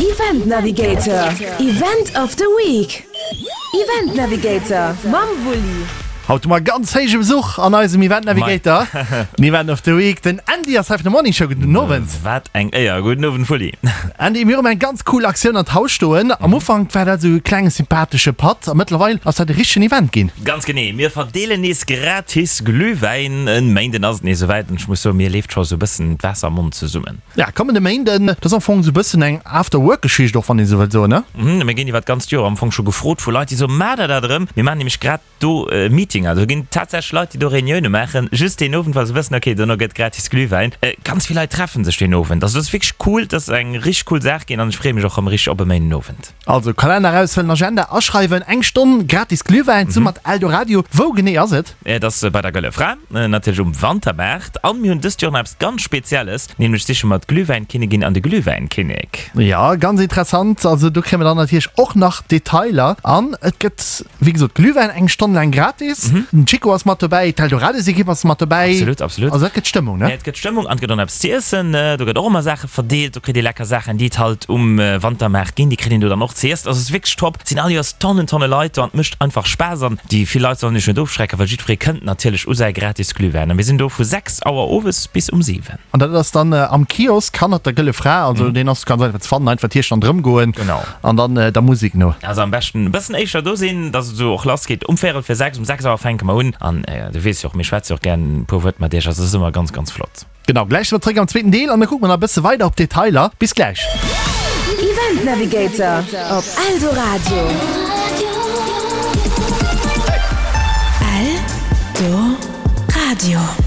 Event Navigator, Event of the Week. Event Navigator mam Wulli. Haut hu mer ganz héije Besuch an eisem Event Navigator, den Event of the Week. Den Andy ass hei vun der Morning Show. Gudden Owend. Wat eng Éier. Gudden Owend Wulli. Andy, mir hu eng ganz cool Aktioun an d'Haus stoen. Am Ufank war dat esou e klenge sympathesche Patt a mëttlerweil ass dat e richtegen Event ginn. Ganz genee, mir verdeelen nees gratis Glühwäin. En Méinden ass et nees esouwäit an ech muss soen, mir leeft scho esou e bëssen d'Waasser am Mond zesummen. Ja, kommende Méinden, dat ass am Fong esou e bëssen eng After-Work-Geschicht och, wann een esou wëllt soen, ne? Mhm, mir ginn iwwer d'ganzt Joer am Fong scho gefrot vu Leit, déi soen, Maacht der dat erëm? Mir maachen nämlech grad do Meetinger. Do ginn tatsächlech Leit, déi do Reunioune maachen, just deen Owend, well se wëssen, okay, dono gëtt gratis Glühwäin. Ganz vill Leit treffe sech deen Owend. Also dat ass wierklech cool, dat ass eng richteg cool Saach ginn an ech freeë mech och erëm richteg op e Méindenowend. Also Kalenner eraushuelen, Agenda aschreiwen, eng Stonn gratis Glühwäin zesumme mat Eldoradio. Wou genee ass et? Et ass bei der Gëlle Fra, natierlech um Wantermaart. An mir hunn dëst Joer nach eppes ganz Spezielles, nämlech siche mer d'Glühwäinkinnigin an de Glühwäinkinnek. Jo, ganz interessant. Also do kréie mer dann natierlech och nach Detailer. An et gëtt wéi gesot Glühwäin eng Stonn laang gratis. Den Chico ass mat dobäi, d'Eldoradio-Ekipp ass mat dobäi. Absolut, absolut. Also dat gëtt Stëmmung, ne? Et gëtt Stëmmung an et gëtt och nach eppes z'iessen. Do gëtt och ëmmer Saache verdeelt. Do kritt ee lecker Saachen, déi et halt um Wantermaart ginn. Déi kritt een do dann och z'iessen. Also et ass wierklech top. Et sinn all Joers Tonnen, Tonne Leit do an et mécht einfach Spaass. An déi vill Leit sollen sech net ofschrecken, well jiddweree kënnt natierlech u säi gratis Glühwäin. A mir sinn do vu 6 Auer owes bis um 7. An dat ass dann am Kiosk hannert der Gëlle Fra. Also deen ass ganz einfach ze fannen. Einfach d'Hierscht an drëm goen. Genau. An dann der Musek no. Also am beschten e bëssen éischter do sinn, dass et esou och lass geet um véierel vir 6. Um 6 Auer fänke mer un. An du weess jo och, mir schwätze jo och gären e puer Wuert mat iech. Also et ass ëmmer ganz, ganz flott. Genau, gläich si mer zréck am zweeten Deel an da kucke mer nach e bësse weider op d'Detailer. Bis gläich! Event Navigator op Eldoradio. Eldoradio.